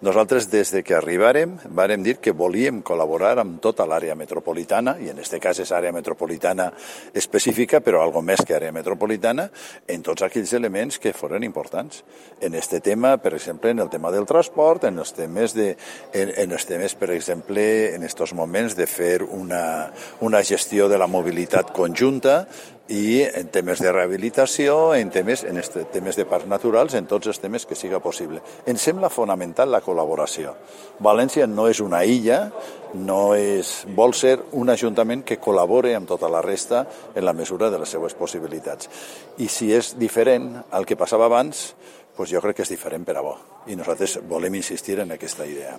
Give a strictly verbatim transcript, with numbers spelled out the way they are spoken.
Nosaltres, des de que arribàrem, vàrem dir que volíem col·laborar amb tota l'àrea metropolitana, i en aquest cas és àrea metropolitana específica, però algo més que àrea metropolitana, en tots aquells elements que foren importants. En este tema, per exemple, en el tema del transport, en els temes, de, en, en els temes per exemple, en aquests moments de fer una, una gestió de la mobilitat conjunta, i en temes de rehabilitació, en temes, en este, temes de parcs naturals, en tots els temes que siga possible. Ens sembla fonamental la col·laboració. València no és una illa, no és, vol ser un ajuntament que col·labore amb tota la resta en la mesura de les seues possibilitats. I si és diferent al que passava abans, doncs jo crec que és diferent per a bo. I nosaltres volem insistir en aquesta idea.